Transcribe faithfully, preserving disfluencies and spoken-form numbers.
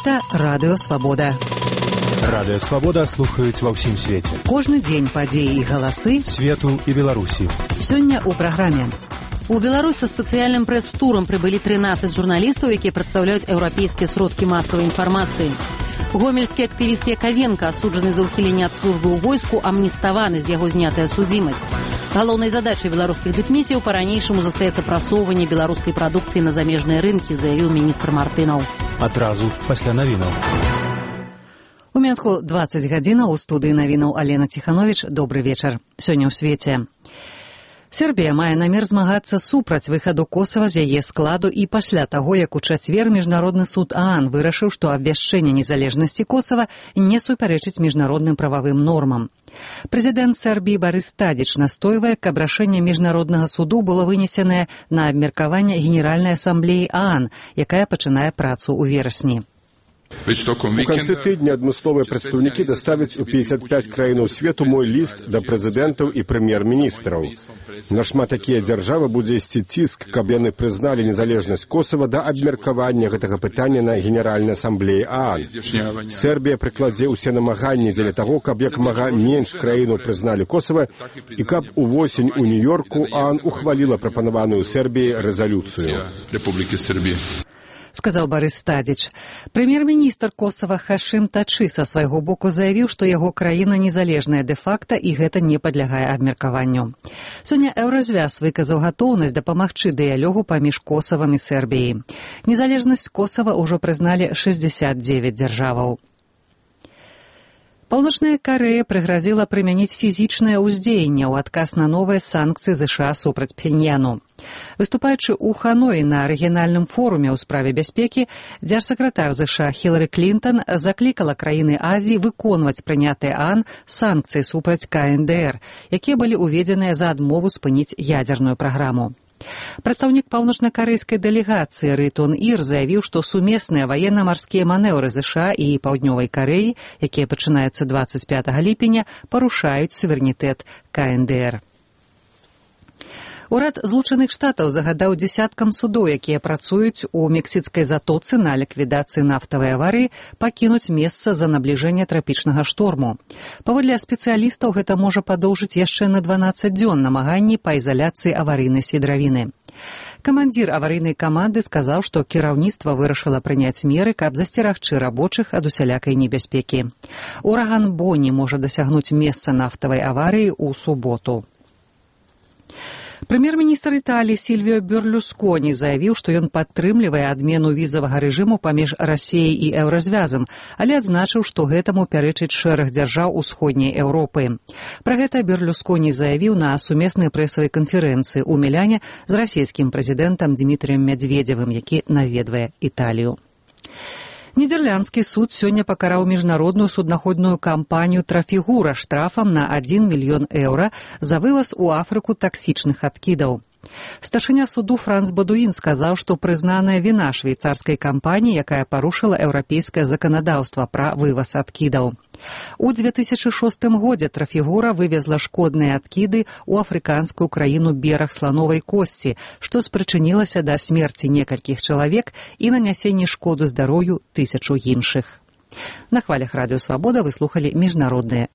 Гэта Радыё Свабода. Радыё Свабода слухаюць ва ўсім свеце. Кожны дзень падзеі і галасы свету і Беларусі. Сёння ў праграме. У Беларусь са спецыяльным прэс-турам прыбылі трынаццаць журналістаў, якія прадстаўляюць еўрапейскія сродкі масавай інфармацыі. Гомельскі актывіст Яковенко, асуджаны за ўхіленне ад службы ў войску, амніставаны, з яго знятая судзімасць. Галоўнай задачай беларускіх дыпмісіяў па-ранейшаму застаецца прасоўванне беларускай прадукцыі на замежныя рынкі, заявіў міністр Мартынаў. Адразу пасля навінаў. У Мінску дваццаць гадзінаў, у студыі навінаў Алена Ціхановіч. Добры вечар. Сёння ў свеце. Сербія мае намер змагацца супраць выхаду Косава з яе складу і пасля таго, як у чацвер Міжнародны суд ААН вырашыў, што абвяшчэнне незалежнасці Косава не супярэчыць міжнародным прававым нормам. Прэзідэнт Сербіі Барыс Тадзіч настойвае, каб рашэнне Міжнароднага суду было вынесенае на абмеркаванне Генеральнай асамблеі ААН, якая пачынае працу ў верасні. У канцы тыдня адмысловыя прадстаўнікі даставяць у пятьдесят пять краінаў свету мой ліст да прэзідэнтаў і прэм'ер-міністраў. Нашмат такія дзяржавы будзе ісці ціск, каб яны прызналі незалежнасць Косава да абмеркавання гэтага пытання на Генеральнай асамблеі ААН. Сербія прыкладзе ўсе намаганні дзеля таго, каб як мага менш краінаў прызналі Косава і каб увосень у Нью-Йорку ААН ухваліла прапанаваную Сербіі рэзалюцыю. Сказаў Барыс Тадзіч. Прэм'ер-міністр Косава Хашым Тачы са свайго боку заявіў, што яго краіна незалежная дэ-факта і гэта не падлягае абмеркаванню. Сёння Еўразвяз выказаў гатоўнасць дапамагчы дыялогу паміж Косавам і Сербіяй. Незалежнасць Косава ўжо прызналі шэсцьдзесят дзевяць дзяржаваў. Паўночная Карэя прыгразіла прымяніць фізічнае ўздзеянне ў адказ на новыя санкцыі ЗША супраць Пхеньяну. Выступаючы ў Ханоі на рэгіянальным форуме ў справе бяспекі, дзяржсакратар ЗША Хілары Клінтон заклікала краіны Азіі выконваць прынятыя ААН санкцыі супраць ка эн дэ эр, якія былі ўведзеныя за адмову спыніць ядзерную праграму. Прадстаўнік паўночнакарэйскай дэлегацыі Рытон Ір заявіў, што сумесныя ваенна-марскія манеўры ЗША і Паўднёвай Карэі, якія пачынаюцца дваццаць пятага ліпеня, парушаюць суверэнітэт ка эн дэ эр. Урад Злучаных Штатаў загадаў дзесяткам судоў, якія працуюць у мексіцкай затоцы на ліквідацыі нафтавай аварыі, пакінуць месца за набліжэнне трапічнага шторму. Паводле спецыялістаў, гэта можа падоўжыць яшчэ на дванаццаць дзён намаганні па ізаляцыі аварыйнай свідравіны. Камандзір аварыйнай каманды сказаў, што кіраўніцтва вырашыла прыняць меры, каб засцерагчы рабочых ад усялякай небяспекі. Ураган Боні можа дасягнуць месца нафтавай аварыі ў суботу. Прэм'ер-міністр Італіі Сільвіо Берлусконі заявіў, што ён падтрымлівае адмену візавага рэжыму паміж Расіяй і Еўразвязам, але адзначыў, што гэтаму пярэчыць шэраг дзяржаў усходняй Еўропы. Пра гэта Берлусконі заявіў на сумеснай прэсавай канферэнцыі ў Міляне з расійскім прэзідэнтам Дмітрыем Мядзведзевым, які наведвае Італію. Нідерландскі суд сёння пакараў міжнародную суднаходную кампанію «Трафігура» штрафам на адзін мільён еўра за вываз у Афрыку таксічных адкідаў. Старшыня суду Франц Бадуін сказаў, што прызнаная віна швейцарскай кампаніі, якая парушыла еўрапейскае заканадаўства пра вываз адкідаў. У дзве тысячы шостым годзе «Трафігура» вывезла шкодныя адкіды ў афрыканскую краіну бераг слановай косці, што спрычынілася да смерці некалькіх чалавек і нанясення шкоду здароўю тысячу іншых. На хвалях Радыё Свабода вы слухалі міжнародныя